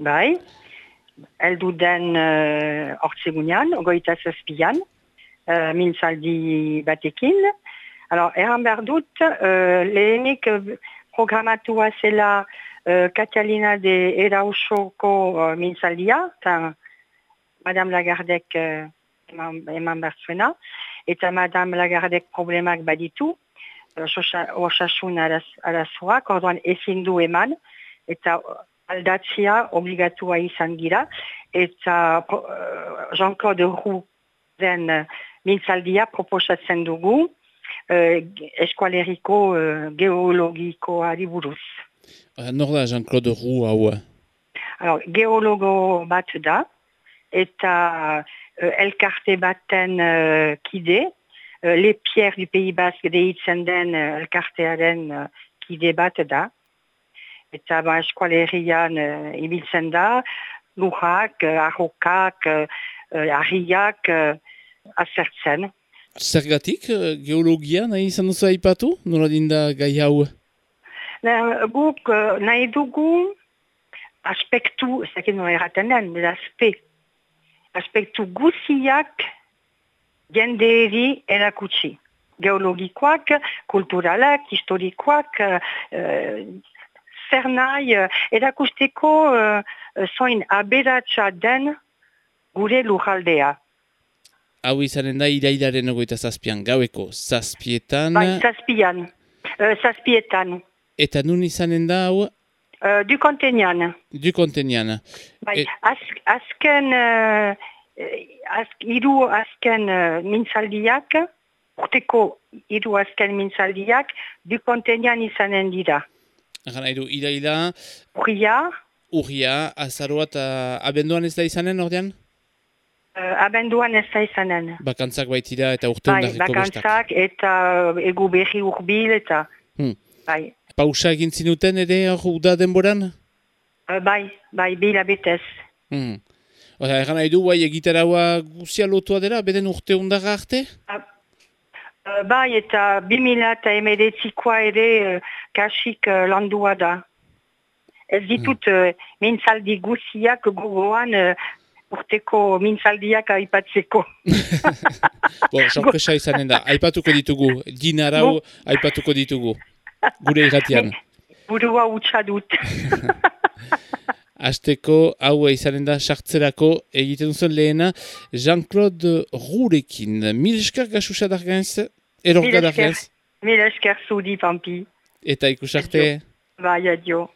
bai, heldu den hortzegunean, 27an, mintzaldi batekin. Erran behar dut, lehenik programatua zela Catalina de Erausoko mintzaldia, eta Madame Lagardek eman behar zuena, eta Madame Lagardek problemak baditu, osasun arazoak, orduan ezin du eman, eta aldatzea obligatua izan gira, eta Jean-Claude Roux den mintzaldia proposatzen dugu eskualeriko geologikoari buruz. Nor da Jean-Claude Roux hau? Geologo bat da, eta elkarte baten kide, Les Pierres du Pays Basque deitzen den elkartearen kide bat da. Eta eskualerian ibiltzen da, lujak, arrokak, harriak azertzen. Zergatik geologia nahi izan duzu aipatu? Nola dinda gai hau? Guk nahi dugu aspektu, ez dakit nola erraten den, aspektu guziak jendeeri erakutsi. Geologikoak, kulturalak, historikoak, zer nahi erakusteko zoin aberatsa den gure lujaldea. Hau izanen da irailaren 27an, gaueko zazpietan. Bai, zazpietan. Eta nun izanen da hau? Du Kontenian. Du Kontenian. Bai, hiru azken mintzaldiak, urteko hiru azken mintzaldiak, Du Kontenian izanen dira. Gana edo, iraila... Urria, azaroa eta abenduan ez da izanen, ordean? Abenduan ez da izanen. Bakantzak baitira eta urte hundarriko bestak. Bakantzak eta egu berri urbil eta... Bai. Pausa egin zinuten ere uda denboran? Bai, bila betez. Egan nahi du, egitaraua guzia lotua dela, beden urte hundarra arte? Bai, eta 2019koa ere kasik landua da. Ez ditut mintzaldi guziak gogoan urteko mintzaldiak aipatzeko. Sorpresa izanen da, aipatuko ditugu, dinarau aipatuko ditugu, gure irratian. Burua utxa dut. Azteko hau izanen da sartzerako egiten duzen lehena Jean-Claude Rouxrekin. Mil esker gasusa darganz, erorga darganz. Mil esker zudi, Pampi. Eta ikusarte. Bai, adio.